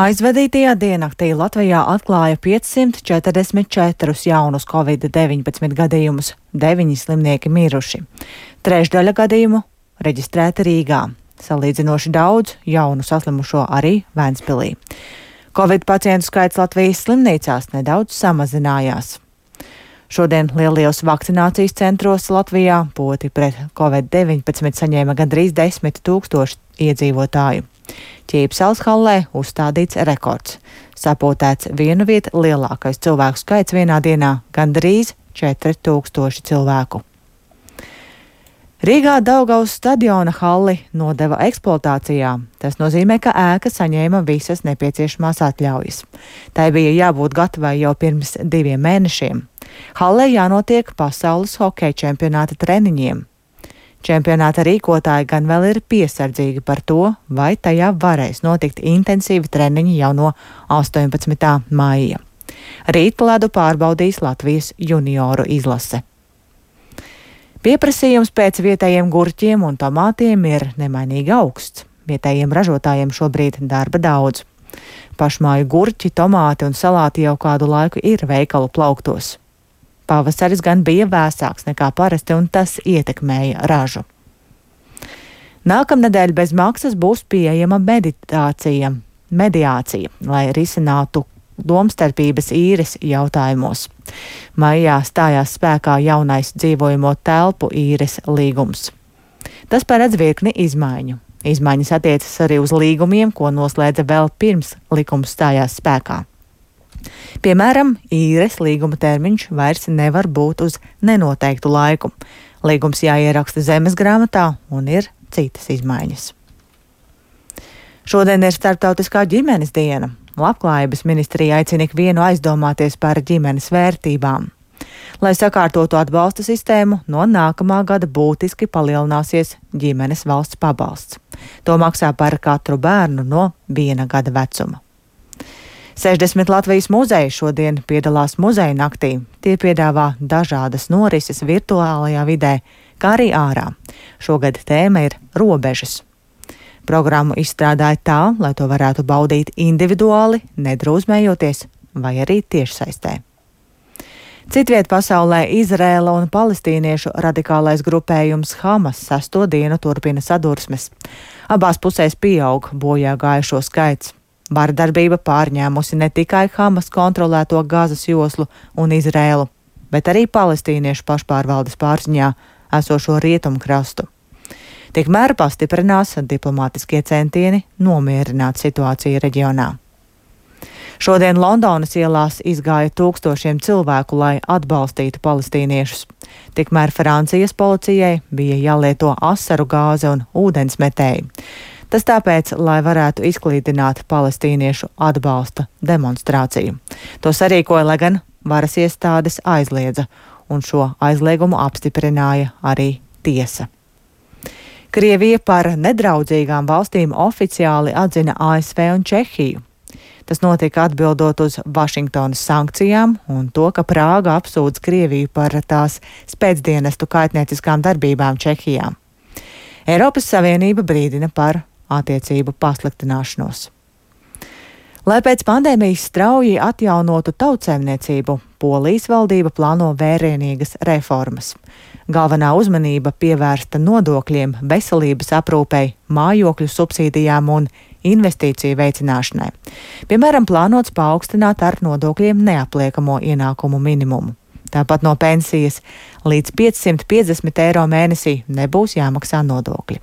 Aizvadītajā diennaktī Latvijā atklāja 544 jaunus Covid-19 gadījumus, 9 slimnieki miruši. Trešdaļa gadījumu reģistrēta Rīgā. Salīdzinoši daudz jaunu saslimušo arī Ventspilī. Covid pacientu skaits Latvijas slimnīcās nedaudz samazinājās. Šodien lielajos vakcinācijas centros Latvijā poti pret Covid-19 saņēma gandrīz 10 000 iedzīvotāju. Ķīpsels hallē uzstādīts rekords. Sapotēts vienu vietu lielākais cilvēku skaits vienā dienā - gandrīz 4000 cilvēku. Rīgā Daugavas stadiona halli nodeva eksploatācijā. Tas nozīmē, ka ēka saņēma visas nepieciešamās atļaujas. Tai bija jābūt gatavai jau pirms 2 mēnešiem. Hallē jānotiek pasaules hokeja čempionāta treniņiem. Čempionāta rīkotāji gan vēl ir piesardzīgi par to, vai tajā varēs notikt intensīvi treniņi jau no 18. maija. Rīt ledu pārbaudīs Latvijas junioru izlase. Pieprasījums pēc vietējiem gurķiem un tomātiem ir nemainīgi augsts. Vietējiem ražotājiem šobrīd darba daudz. Pašmāju gurķi, tomāti un salāti jau kādu laiku ir veikalu plauktos. Pavasaris gan bija vēsāks nekā parasti, un tas ietekmēja ražu. Nākamnedēļ bez maksas būs pieejama mediācija, lai risinātu domstarpības īres jautājumos. Maijā stājās spēkā jaunais dzīvojamo telpu īres līgums. Tas paredz virkni izmaiņu. Izmaiņas attiecas arī uz līgumiem, ko noslēdza vēl pirms likums stājās spēkā. Piemēram, īres līguma termiņš vairs nevar būt uz nenoteiktu laiku. Līgums jāieraksta zemes grāmatā un ir citas izmaiņas. Šodien ir Starptautiskā ģimenes diena. Labklājības ministrija aicina ikvienu aizdomāties par ģimenes vērtībām. Lai sakārtotu atbalsta sistēmu, no nākamā gada būtiski palielināsies ģimenes valsts pabalsts. To maksā par katru bērnu no 1 gada vecuma. 60 Latvijas muzeji šodien piedalās muzeja naktī. Tie piedāvā dažādas norises virtuālajā vidē, kā arī ārā. Šogad tēma ir robežas. Programmu izstrādāja tā, lai to varētu baudīt individuāli, nedrūzmējoties vai arī tiešsaistē. Citviet pasaulē Izraēla un palestīniešu radikālais grupējums Hamas 6. dienu turpina sadursmes. Abās pusēs pieaug bojā gājušo skaits. Vardarbība pārņēmusi ne tikai Hamas kontrolēto Gazas joslu un Izraēlu, bet arī palestīniešu pašpārvaldes pārziņā esošo rietumkrastu. Tikmēr pastiprinās diplomātiskie centieni nomierināt situāciju reģionā. Šodien Londonas ielās izgāja tūkstošiem cilvēku, lai atbalstītu palestīniešus. Tikmēr Francijas policijai bija jālieto asaru gāze un ūdensmetēji. Tas tāpēc, lai varētu izklīdināt palestīniešu atbalsta demonstrāciju. To sarīkoja, lai gan varas iestādes aizliedza, un šo aizliegumu apstiprināja arī tiesa. Krievija par nedraudzīgām valstīm oficiāli atzina ASV un Čehiju. Tas notika atbildot uz Vašingtonas sankcijām un to, ka Prāga apsūdz Krieviju par tās spēcdienestu kaitnieciskām darbībām Čehijā. Eiropas Savienība brīdina par attiecību pasliktināšanos. Lai pēc pandēmijas strauji atjaunotu tautsēmniecību, Polijas valdība plāno vērienīgas reformas. Galvenā uzmanība pievērsta nodokļiem, veselības aprūpei, mājokļu subsīdijām un investīciju veicināšanai. Piemēram, plānots paaugstināt ar nodokļiem neapliekamo ienākumu minimumu. Tāpat no pensijas līdz 550 eiro mēnesī nebūs jāmaksā nodokļi.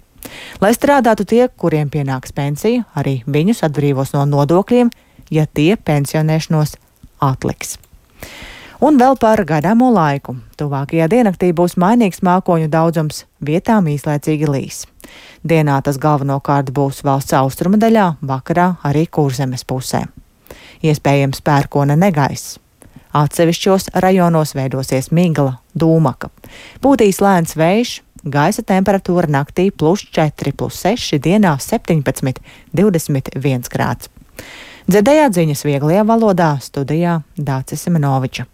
Lai strādātu tie, kuriem pienāks pensija, arī viņus atbrīvos no nodokļiem, ja tie pensionēšanos atliks. Un vēl par gaidāmo laiku. Tuvākajā diennaktī būs mainīgs mākoņu daudzums, vietām īslaicīgi līs. Dienā tas galvenokārt būs valsts austrumu daļā, vakarā arī Kurzemes pusē. Iespējams pērkona negaiss. Atsevišķos rajonos veidosies migla, dūmaka. Būtīs lēns vējš, gaisa temperatūra naktī +4, +6, dienā 17, 21 grāds. Dzirdējāt ziņas vieglajā valodā, studijā Dācis Semenoviča.